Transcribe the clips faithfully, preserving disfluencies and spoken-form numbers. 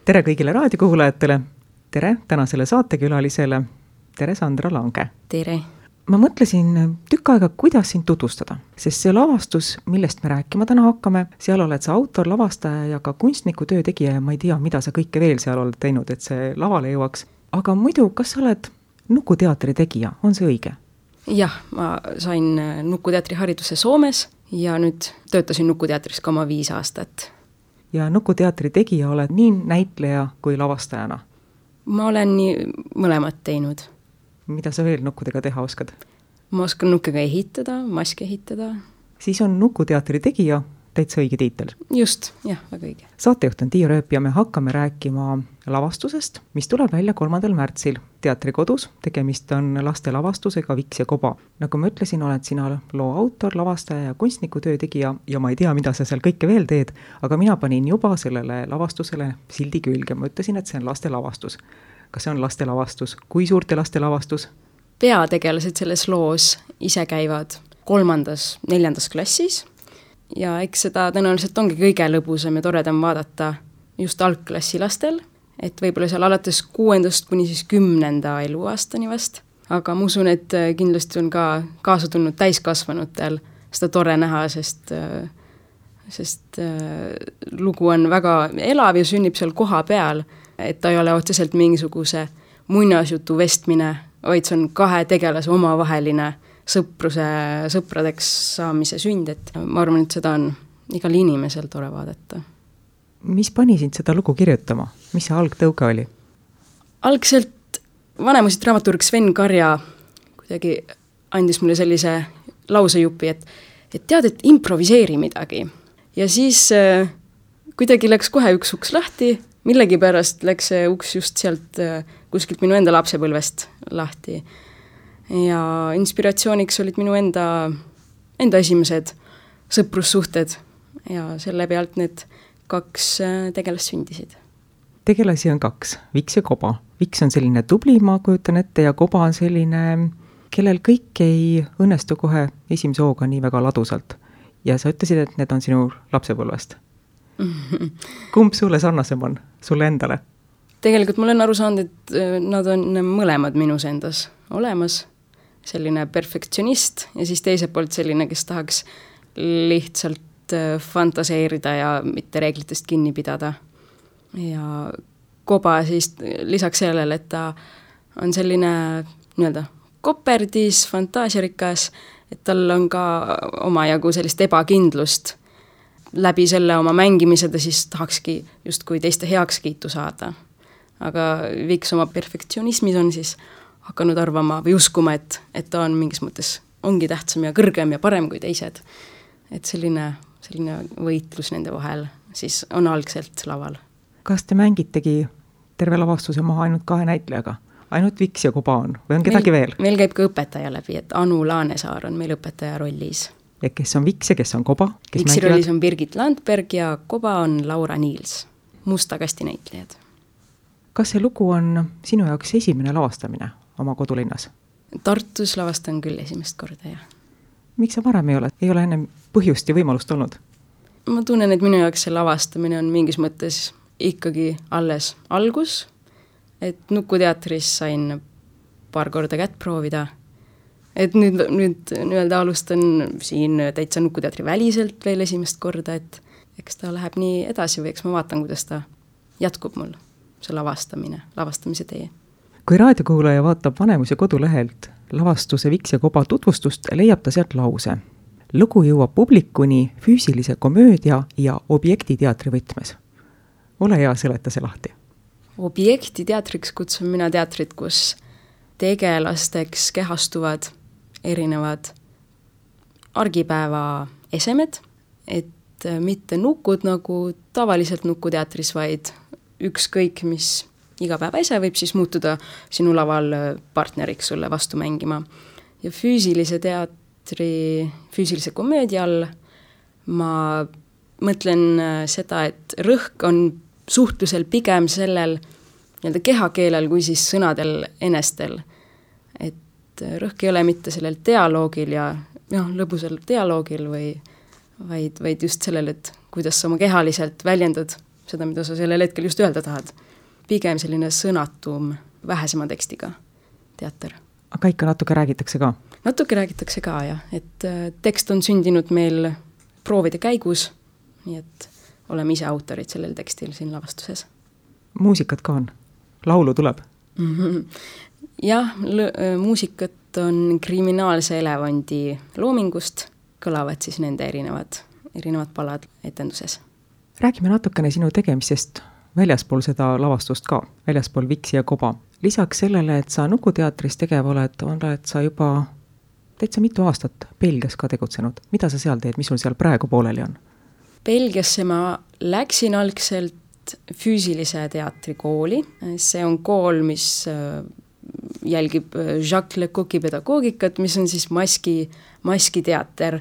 tere kõigile raadiokuulajatele, tere tänasele saatekülalisele, tere Sandra Lange. Tere. Ma mõtlesin tükk aega, kuidas sind tutvustada, sest see lavastus, millest me rääkima täna hakkame, seal oled sa autor, lavastaja ja ka kunstniku töö tegija ja ma ei tea, mida sa kõike veel seal oled teinud, et see lavale jõuaks. Aga muidu, kas sa oled Nukuteatri tegija, on see õige? Jah, ma sain Nukuteatri hariduse Soomes ja nüüd töötasin Nukuteatris ka oma viis aastat. Ja Nukuteatri tegija oled nii näitleja kui lavastajana? Ma olen nii mõlemat teinud. Mida sa veel nukkudega teha oskad? Ma oskan nukkega ehitada, maske ehitada. Siis on Nukuteatri tegija täitsa õige tiitel. Just, jah, väga õige. Saatejuht on Tiia Rööp ja me hakkame rääkima lavastusest, mis tuleb välja kolmandal märtsil Teatrikodus. Tegemist on laste lavastusega Viks ja koba. Nagu ma ütlesin, oled sina loo autor, lavastaja ja kunstniku töö tegija ja ma ei tea, mida sa seal kõike veel teed, aga mina panin juba sellele lavastusele sildi külge. Ma ütlesin, et see on laste lavastus. Kas see on laste lavastus? Kui suurte laste lavastus? Peategelased selles loos ise käivad kolmandas, neljandas klassis ja eks seda tõenäoliselt ongi kõige lõbusam ja toredam vaadata just algklassi lastel, et võib-olla seal alates kuuendast kuni siis kümnenda eluaastani vast, aga ma usun, et kindlasti on ka kaasa tulnud täiskasvanutel seda tore näha, sest, sest lugu on väga elav ja sünnib seal koha peal, et ta ei ole otseselt mingisuguse muinasjutu vestmine, vaid see on kahe tegelase omavaheline sõpruse, sõpradeks saamise sünd, et ma arvan, et seda on igal inimesel tore vaadata. Mis pani sind seda lugu kirjutama? Mis see algtõuge oli? Algselt vanemusid dramaturg Sven Karja kuidagi andis mulle sellise lausejupi, et, et tead, et improviseeri midagi. Ja siis äh, kuidagi läks kohe üks uks lahti, millegi pärast läks see uks just sealt äh, kuskilt minu enda lapsepõlvest lahti. Ja inspiratsiooniks olid minu enda, enda esimesed sõprussuhted ja selle pealt need kaks tegelast sündisid. Tegelasi on kaks, Viks ja koba. Viks on selline tubli, ma kujutan ette, ja koba on selline, kellel kõik ei õnnestu kohe esimese hooga nii väga ladusalt. Ja sa ütlesid, et need on sinu lapsepõlvest. Kumb sulle sarnasem on, sulle endale? Tegelikult ma olen aru saanud, et nad on mõlemad minus endas olemas. Selline perfektsionist ja siis teiselt poolt selline, kes tahaks lihtsalt fantaseerida ja mitte reeglitest kinni pidada. Ja koba siis lisaks sellele, et ta on selline nii-öelda koperdis, fantaasiarikas, et tal on ka omajagu sellist ebakindlust. Läbi selle oma mängimise ta siis tahakski justkui teiste heakskiitu saada. Aga Viks oma perfektsionismis on siis hakanud arvama või uskuma, et, et ta on mingis mõttes ongi tähtsam ja kõrgem ja parem kui teised. Et selline, selline võitlus nende vahel siis on algselt laval. Kas te mängitegi terve lavastuse maha ainult kahe näitlejaga? Ainult Viks ja koba on? Või on kedagi meil, veel? Meil käib ka õpetaja läbi, et Anu Laanesaar on meil õpetaja rollis. Ja kes on Viks ja kes on koba? Kes Viksi rollis on Birgit Landberg ja koba on Laura Niils, musta kasti näitlejad. Kas see lugu on sinu jaoks esimene lavastamine oma kodulinnas? Tartus lavastan küll esimest korda, jah. Miks sa varem ei ole? Ei ole enne põhjust ja võimalust olnud? Ma tunnen, et minu jaoks see lavastamine on mingis mõttes ikkagi alles algus, et Nukuteatris sain paar korda kätt proovida. Et nüüd, nüüd nii-öelda alustan siin täitsa Nukuteatri väliselt veel esimest korda, et eks ta läheb nii edasi või eks ma vaatan, kuidas ta jätkub mul, see lavastamine, lavastamise tee. Kui raadiokuulaja vaatab Vanemuse kodulehelt lavastuse Viks ja koba tutvustust, leiab ta sealt lause. Lugu jõuab publikuni füüsilise komöödia ja objektiteatri võtmes. Ole hea, seleta see lahti. Objektiteatriks kutsun mina teatrit, kus tegelasteks kehastuvad erinevad argipäeva esemed, et mitte nukud nagu tavaliselt Nukuteatris, vaid ükskõik, mis igapäeva ese võib siis muutuda sinu laval partneriks sulle vastu mängima. Ja füüsilise teatri, füüsilise komöödia all ma mõtlen seda, et rõhk on suhtlusel pigem sellel nii-öelda kehakeelel kui siis sõnadel enestel. Et rõhk ei ole mitte sellel dialoogil ja noh, lõbusal dialoogil või vaid, vaid just sellel, et kuidas sa oma kehaliselt väljendad seda, mida sa sellel hetkel just öelda tahad. Pigem selline sõnatum, vähesema tekstiga teater. Aga ikka natuke räägitakse ka? Natuke räägitakse ka, jah. Et tekst on sündinud meil proovide käigus, nii et oleme ise autorid sellel tekstil siin lavastuses. Muusikat ka on? Laulu tuleb? Mm-hmm. Jah, l- muusikat on Kriminaalse elevandi loomingust, kõlavad siis nende erinevad, erinevad palad etenduses. Räägime natukene sinu tegemisest väljaspool seda lavastust ka, väljaspool Viksi ja Koba. Lisaks sellele, et sa Nukuteatris tegev oled, on et sa juba täitsa mitu aastat Belgias ka tegutsenud. Mida sa seal teed, mis sul seal praegu pooleli on? Belgiasse ma läksin algselt füüsilise teatri kooli. See on kool, mis jälgib Jacques Lecoq'i pedagoogikat, mis on siis maski, maskiteater.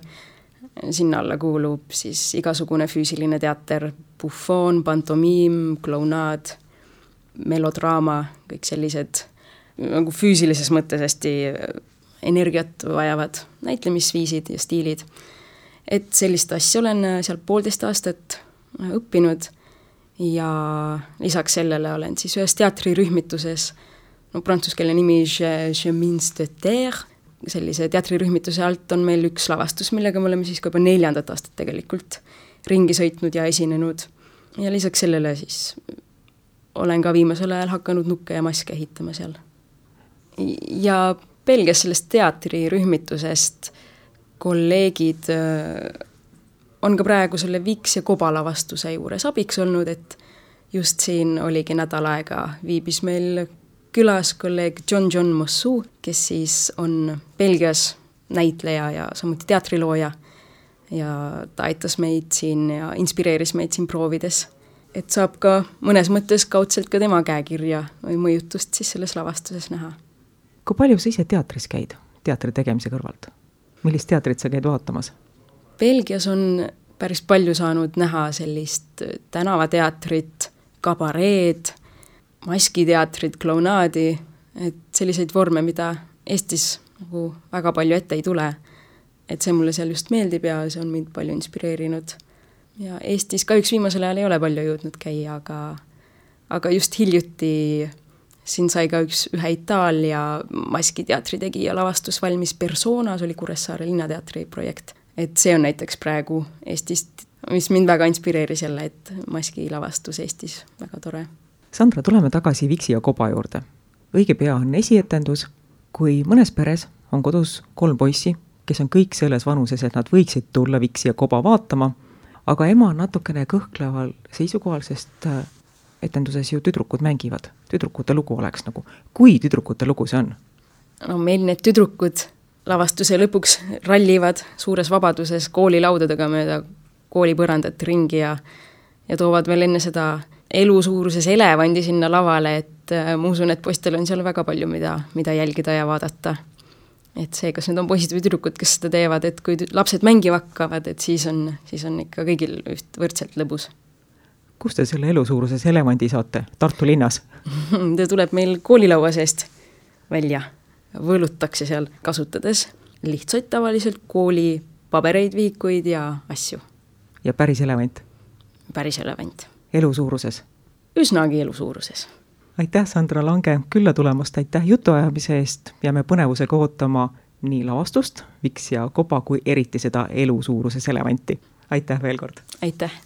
Sinna alla kuulub siis igasugune füüsiline teater, buffon, pantomiim, klounaad, melodraama, kõik sellised nagu füüsilises mõttes hästi energiat vajavad näitlemisviisid ja stiilid. Et sellist asja olen seal poolteist aastat õppinud ja lisaks sellele olen siis ühes teatrirühmituses, no prantsuskeelne nimi Chemins de Terre, sellise teatrirühmituse alt on meil üks lavastus, millega me oleme siis ka juba neljandat aastat tegelikult ringi sõitnud ja esinenud. Ja lisaks sellele siis olen ka viimasel ajal hakanud nukke ja maske ehitama seal. Ja Belgias sellest teatrirühmitusest kolleegid on ka praegu selle Viks ja Koba lavastuse juures abiks olnud, et just siin oligi nädal aega viibis meil külas kolleeg John John Mossou, kes siis on Belgias näitleja ja samuti teatrilooja ja ta aitas meid siin ja inspireeris meid siin proovides. Et saab ka mõnes mõttes kaudselt ka tema käekirja või mõjutust siis selles lavastuses näha. Kui palju sa ise teatris käid teatri tegemise kõrvalt? Millist teatrit sa käid vaatamas? Belgias on päris palju saanud näha sellist tänavateatrit, kabareed, maskiteatrit, klounaadi, et selliseid vorme, mida Eestis nagu väga palju ette ei tule. Et see mulle seal just meeldib ja see on mind palju inspireerinud. Ja Eestis ka üks viimasel ajal ei ole palju jõudnud käia, aga, aga just hiljuti siin sai ka üks ühe Itaalia maskiteatri tegija lavastus valmis Personas, oli Kuressaare linnateatri projekt. Et see on näiteks praegu Eestist, mis mind väga inspireeris jälle, et maskilavastus Eestis väga tore. Sandra, tuleme tagasi Viksi ja Koba juurde. Õige pea on esietendus, kui mõnes peres on kodus kolm poissi, kes on kõik selles vanuses, et nad võiksid tulla Viksi ja Koba vaatama, aga ema on natukene kõhkleval seisukohal, sest etenduses ju tüdrukud mängivad. Tüdrukute lugu oleks nagu. Kui tüdrukute lugu see on? No meil need tüdrukud lavastuse lõpuks rallivad suures vabaduses koolilaudadega mööda koolipõrandat ringi ja, ja toovad veel enne seda elusuuruses elevandi sinna lavale, et äh, ma usun, et poistel on seal väga palju, mida, mida jälgida ja vaadata. Et see, kas need on poisid või tüdrukud, kes seda teevad, et kui lapsed mängiva hakkavad, et siis on, siis on ikka kõigil üht võrdselt lõbus. Kus te selle elusuuruses elevandi saate? Tartu linnas? Ta tuleb meil koolilaua seest välja. Võlutakse seal kasutades lihtsalt tavaliselt kooli pabereid, viikuid ja asju. Ja päris elevant? Päris elevant. Elusuuruses? Üsnagi elusuuruses. Aitäh, Sandra Lange, külla tulemast, aitäh jutuajamise eest. Jääme põnevusega ootama nii lavastust, Viks ja Koba, kui eriti seda elusuuruses elevanti. Aitäh veel kord! Aitäh!